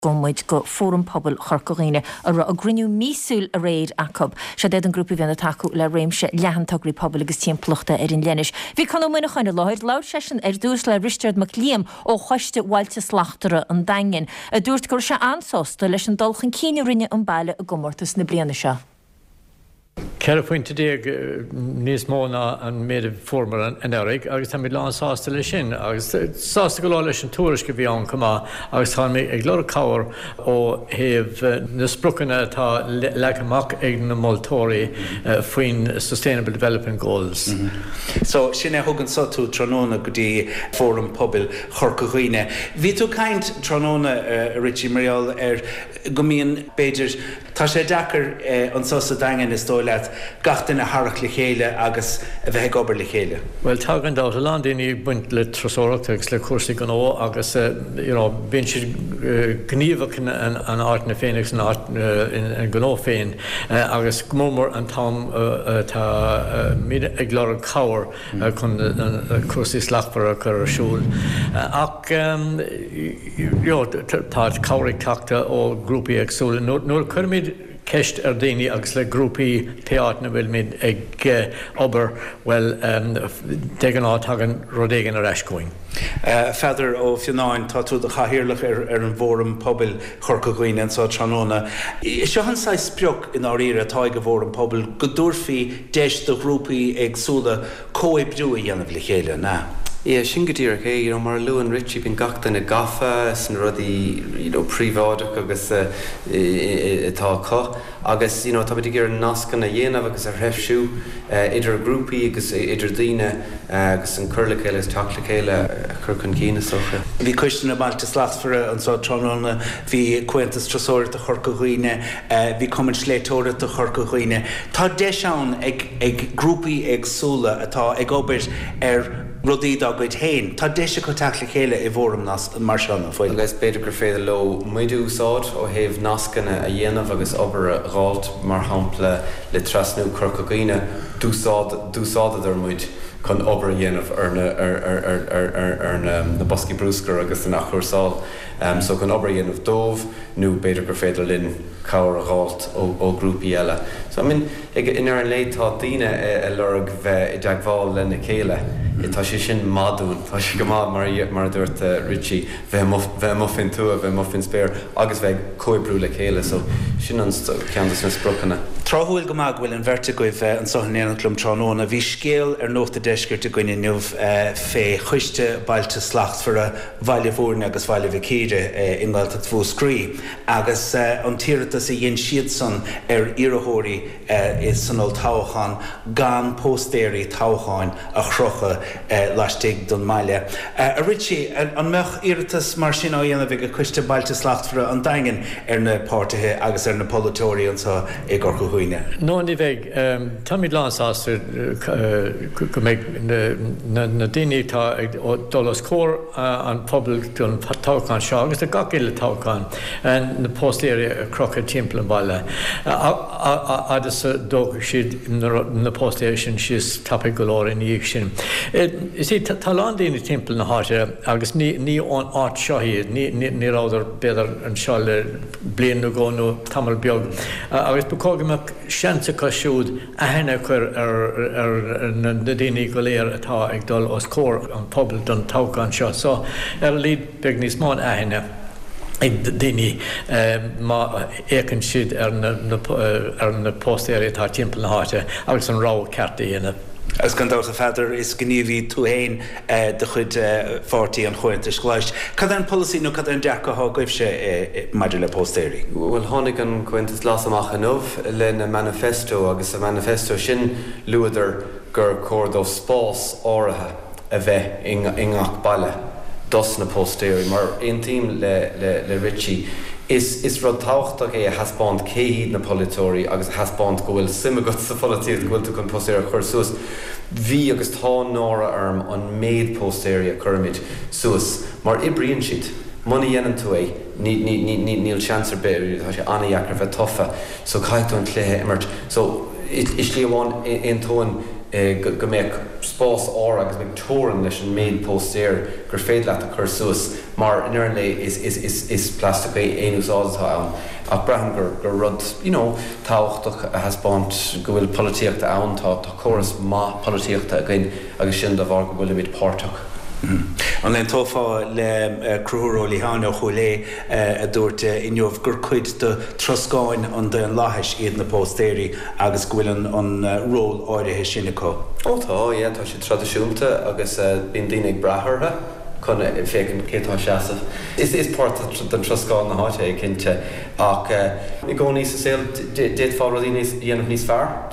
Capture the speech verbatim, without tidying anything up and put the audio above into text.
Gabhfaidh muid go Fóram Pobail Chorca Dhuibhne a raibh a gcruinniú míosúil aréir acu. Siod iad an grúpa a bhíonn ag tacú le réimse leathan tograí pobail agus timpeallachta ar an leithnis. Bhí Conn Ó Muineacháin i láthair, labhair seisean ar dtús le Risteard Mac Liam ó Choiste Bhailte Slachtmhara an Daingin, a dúirt go raibh sé an-sásta leis an dul chun cinn a rinne an baile i gcomórtas na bliana seo. Ceithre phointe déag níos mó ná an méid a fuaireamar anuraidh agus táimid lán-sásta leis sin agus sásta go leor leis an tuairisc a bhí ann chomh maith agus táimid ag lorg cabhair ó thaobh na spriocanna atá leagtha amach ag na moltóirí faoin Sustainable Development Goals. So sin é thug anseo tú tráthnóna go dtí Fóram Pobail Chorca Dhuibhne. Bhí tú ag caint tráthnóna Richie mar gheall ar go mbíonn b'fhéidir tá sé deacair anseo sa Daingean is dóigh leat gach duine a tharrac le chéile agus a bheith ag obair le chéile. Well tá gan dabht a lán daoine ag baint le turasóireacht agus le cúrsaí gnó agus you know, bíonn siad gníomhach in an áit féin agus an áit an gnó féin agus go mór an t-am táimid ag lorg cabhair chun cúrsaí slachtmhara a chur ar siúl. Ach tá cabhair ag teacht ó grúpaí éagsúla. Nuair chuirimid ceist ar daoine agus le grúpaí pé áit ina bhfuilimid ag obair well de ghnáth tagann rud éigin ar ais chugainn. Pheadar Ó Fionnáin tá tú i do chathaoirleach ar ar an bhFóram Pobail Chorca Dhuibhne anseo tráthnóna. Seo an saghas sprioc i ndáiríre atá ag an bhFóram Pobail go dtabharfaí deis do ghrúpaí éagsúla comhoibriú a dhéanamh le chéile na. Yeah, sin go díreach é, you know, mar a luann Richie bíonn gach duine gafa sna rudaí you know, príobháideach agus uh, atá acu agus you know, tá ag iarraidh nascanna a dhéanamh agus a threisiú uh, idir grúpaí agus idir daoine uh, agus an cur le chéile teacht le chéile a chur chun cinn is dócha. Bhí Coiste na mBailte Slachtmhara anseo tráthnóna, bhí Comhaontas Turasóireachta Chorca Dhuibhne, bhí Cumann Sléibhteoireachta Chorca Dhuibhne. Tá deis ann ag, ag grúpaí éagsúla atá ag obair ar rudaí dá gcuid féin. Tá deis acu teacht le chéile i bhfóram mar seo na fuil. Agus b'fhéidir gur féidir leo muid a úsáid ó thaobh nascanna a dhéanamh agus obair a dháileadh mar shampla le trasnú Chorca Dhuibhne d'úsáideadar muid chun obair a dhéanamh ar na ar ar ar ar ar ar na, na boscaí bruscair agus an athchúrsáil. Um, so chun obair a dhéanamh dóibh nó b'fhéidir gur féidir linn cabhair a fháil ó, ó grúpaí eile. So I mean, ag in ar an lé tá daoine ag lorg bheith i dteagmháil lena chéile. Tá sé sin madún Tá sé go maith mar mar a dúirt uh, Richie bheith bheith amuigh faoin tuath bheith amuigh faoin spéir agus bheith comhoibriú le chéile, so sin an ceann de na spriocanna. Tráthúil go maith go bhfuil an bheirt agaibh anseo in éineacht liom tráthnóna, bhí scéal ar Nuacht an Deiscirt againn inniu fé Choiste Bailte Slachtmhara Bhaile Bhúirne agus Bhaile Mhic Íre i nGaeltacht Mhúscraí agus an t-iarratas a dhein siadsan ar iarrthóirí san olltoghchán gan póstaeirí toghcháin a chrochadh laistigh den mbaile. A Richie, an mbeadh iarratas mar sin á dhéanamh ag Coiste Bailte Slachtmhara an Daingin ar na páirtithe agus ar na polaiteoirí anseo i gCorca Dhuibhne. No ní bheidh Táimid lánsásta go mbeidh na daoine atá ag dul os comhair an phobail don toghchán seo agus do gach uile toghchán na póstaeirí a chrochadh timpeall an bhaile. Agus dóigh siad na póstaeirí sin síos tapaidh go leor ina dhiaidh sin. Is é tá lán daoine timpeall na háite agus ní ní ón áit seo iad, ní rabhadar b'fhéidir anseo le bliain nó dhó nó tamall beag agus ba chóir go mbeadh seans acu siúd aithne a chur ar ar na daoine go léir atá ag dul os comhair an phobail don toghchán seo. So ar a laghad beidh níos mó aithne ag daoine má fhéachann siad ar na ar na póstaeirí atá timpeall na háite agus an rogha ceart a dhéanamh. Agus gan dabht a Pheadair is gníomhaí tú féin de chuid pháirtí an Chomhaontais Ghlais. Cad é an polasaí nó cad é an dearcadh atá agaibhse maidir le póstaeirí? Well tháinig an Comhaontas Glas amach inniu lena manifesto agus sa manifesto sin luadar gur chóir dó spás áirithe a bheith i ngach baile dos na póstaeirí mar aontaím le, le, le Richie. Is, is rud tábhachtach é a thaispeáint cé hiad na polaiteoirí agus a thaispeáint go bhfuil suim agat sa pholaitíocht go bhfuil tú chun póstaer a chur suas. Bhí agus tá náire orm an méid póstaeirí a chuirimid suas mar oibríonn siad. Muna dhéanann tú é níl seans ar bith tá sé an-deacair bheith tofa, so caithfidh tú an cluiche a imirt. So i slí amháin aontóinn go mbeadh spás áirithe agus mbeadh teorainn leis an méid póstaer gur féidir leat a chur suas mar i ndeireadh an lae is is is is plastic aon úsáid atá ann ach braithim gur gur rud you know tábhachtach a thaispeáint go bhfuil polaitíocht ann tá tá córas maith polaitíochta againn agus sin de bharr go bhfuilimid páirteach. An aontófá le Conchúr Ó Liatháin ó Chúil Aodha a dúirt inniu gur cuid de troscáin an daonlathais iad na póstaeirí agus go bhfuil an ról áirithe sin acu? Ó tá, yeah, tá siad traidisiúnta agus bíonn daoine ag brath orthu chun féachaint cé atá ag seasamh. Is is páirt den troscán na háite é cinnte ach i gcónaí sa saol d'fhéadfá rudaí níos dhéanamh níos fearr.